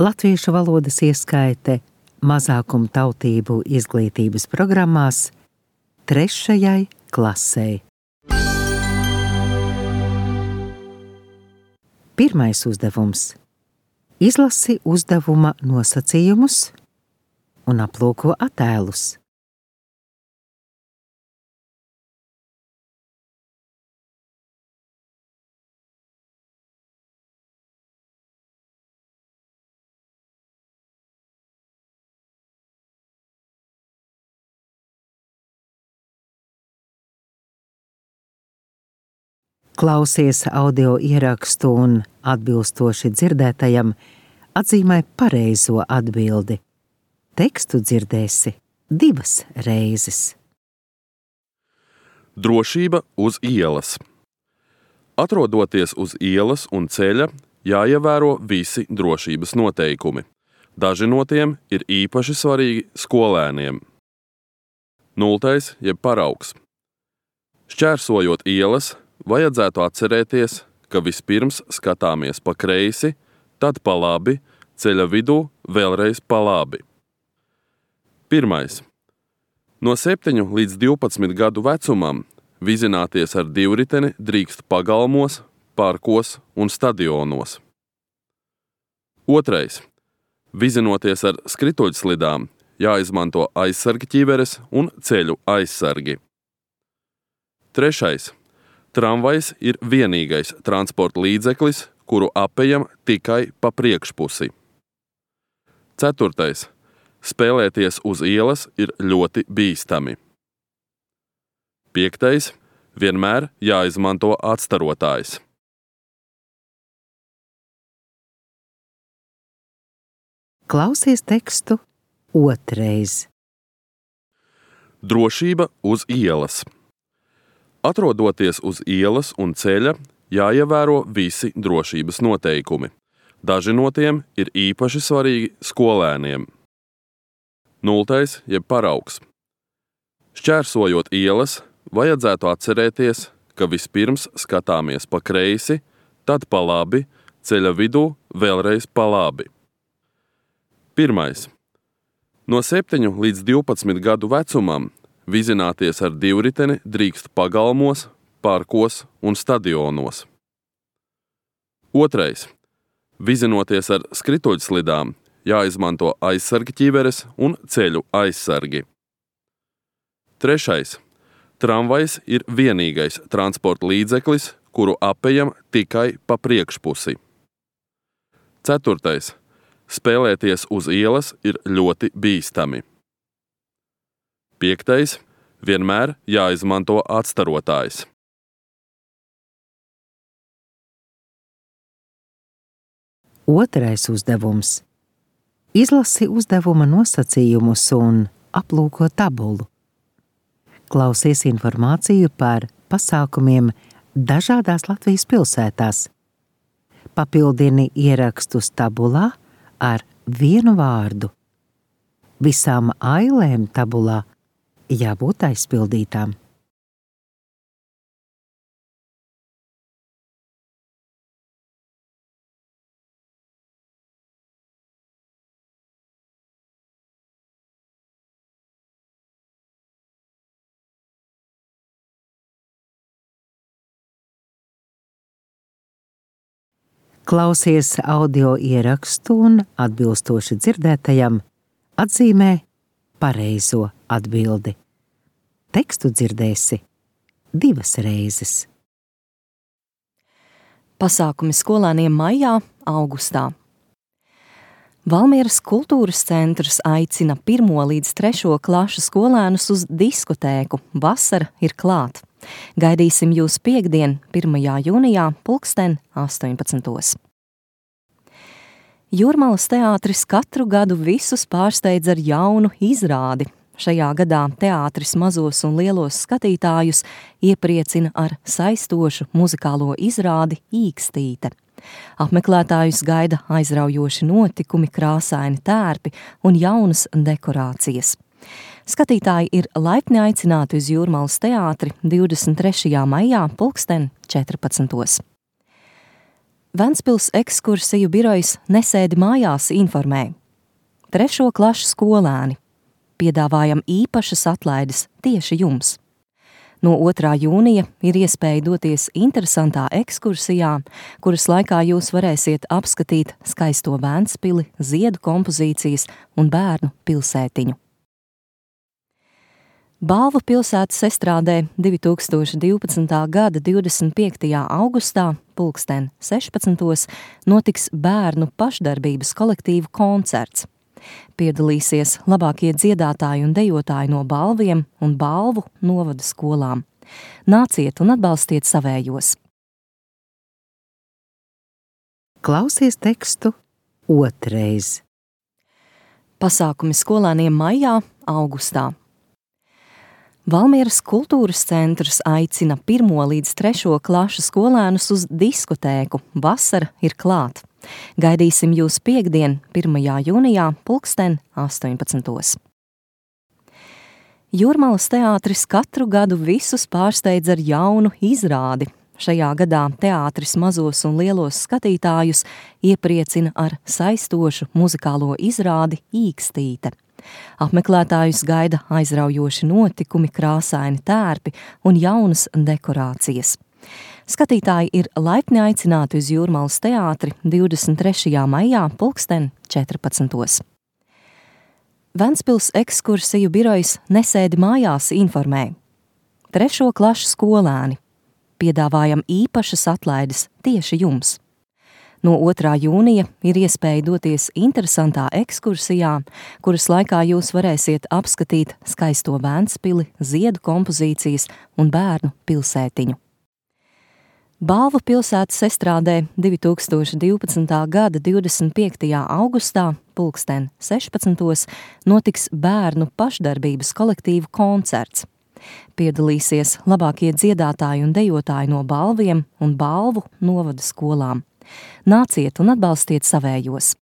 latviešu valodas ieskaite mazākumu tautību izglītības programmās 3. klasei. Pirmais uzdevums. Izlasi uzdevuma nosacījumus un aplūko attēlus. Klausies audio ierakstu un atbilstoši dzirdētajam atzīmē pareizo atbildi. Tekstu dzirdēsi 2 reizes. Drošība uz ielas. Atrodoties uz ielas un ceļa, jāievēro visi drošības noteikumi. Daži no tiem ir īpaši svarīgi skolēniem. 0. jeb paraugs. Šķērsojot ielas, vajadzētu atcerēties, ka vispirms skatāmies pa kreisi, tad pa labi, ceļa vidū vēlreiz pa labi. 1. No 7 līdz 12 gadu vecumam vizināties ar divriteni drīkst pagalmos, parkos un stadionos. 2. Vizinoties ar skrituļslidām, jāizmanto aizsargi ķiveres un ceļu aizsargi. 3. Tramvajs ir vienīgais transporta līdzeklis, kuru apejam tikai pa priekšpusi. 4. Spēlēties uz ielas ir ļoti bīstami. 5. Vienmēr jāizmanto atstarotājs. Klausies tekstu 2. Drošība uz ielas. Atrodoties uz ielas un ceļa, jāievēro visi drošības noteikumi. Daži no tiem ir īpaši svarīgi skolēniem. 0. jeb paraugs. Šķērsojot ielas, vajadzētu atcerēties, ka vispirms skatāmies pa kreisi, tad pa labi, ceļa vidū vēlreiz pa labi. 1. No 7 līdz 12 gadu vecumam vizināties ar divriteni drīkst pagalmos, parkos un stadionos. 2. Vizinoties ar skrituļslidām, jāizmanto aizsargi ķiveres un ceļu aizsargi. 3. Tramvajs ir vienīgais transporta līdzeklis, kuru apejam tikai pa priekšpusi. 4. Spēlēties uz ielas ir ļoti bīstami. 5. Vienmēr jāizmanto atstarotājs. Otrais uzdevums. Izlasi uzdevuma nosacījumus un aplūko tabulu. Klausies informāciju par pasākumiem dažādās Latvijas pilsētās. Papildini ierakstus tabulā ar vienu vārdu. Visām ailēm tabulā jābūt aizpildītām. Klausies audio ierakstu un atbilstoši dzirdētajam atzīmē pareizo atbildi. Tekstu dzirdēsi 2 reizes. Pasākumi skolēniem maijā, augustā. Valmieras kultūras centrs aicina 1. līdz 3. klašu skolēnus uz diskotēku. Vasara ir klāt. Gaidīsim jūs piektdien, 1. jūnijā, 18. Jūrmalas teātris katru gadu visus pārsteidz ar jaunu izrādi. Šajā gadā teātris mazos un lielos skatītājus iepriecina ar saistošu muzikālo izrādi Īkstīte. Apmeklētājus gaida aizraujoši notikumi, krāsaini tērpi un jaunas dekorācijas. Skatītāji ir laipni aicināti uz Jūrmalas teātri 23. maijā 14. Ventspils ekskursiju birojas Nesēdi mājās informē. 3. klašu skolēni. Piedāvājam īpašas atlaides tieši jums. No 2. jūnija ir iespēja doties interesantā ekskursijā, kuras laikā jūs varēsiet apskatīt skaisto Ventspili, ziedu kompozīcijas un bērnu pilsētiņu. Balvu pilsētas estrādē 2012. gada 25. augustā 16. notiks bērnu pašdarbības kolektīvu koncerts. Piedalīsies labākie dziedātāji un dejotāji no Balviem un Balvu novada skolām. Nāciet un atbalstiet savējos. Klausies tekstu otrais. Pasākumi skolēniem maijā, augustā. Valmieras kultūras centrs aicina 1. līdz 3. klašu skolēnus uz diskotēku. Vasara ir klāt. Gaidīsim jūs piektdien, 1. jūnijā, 18. Jūrmalas teātris katru gadu visus pārsteidz ar jaunu izrādi. Šajā gadā teātris mazos un lielos skatītājus iepriecina ar saistošu muzikālo izrādi Īkstīte. Apmeklētājus gaida aizraujoši notikumi, krāsaini tērpi un jaunas dekorācijas. Skatītāji ir laipni aicināti uz Jūrmalas teātri 23. maijā 14. Ventspils ekskursiju birojas Nesēdi mājās informē. 3. klašu skolēni. Piedāvājam īpašas atlaides tieši jums. No 2. jūnija ir iespēja doties interesantā ekskursijā, kuras laikā jūs varēsiet apskatīt skaisto Ventspili, ziedu kompozīcijas un bērnu pilsētiņu. Balvu pilsētas estrādē 2012. gada 25. augustā 16. notiks bērnu pašdarbības kolektīvu koncerts. Piedalīsies labākie dziedātāji un dejotāji no Balviem un Balvu novada skolām. Nāciet un atbalstiet savējos!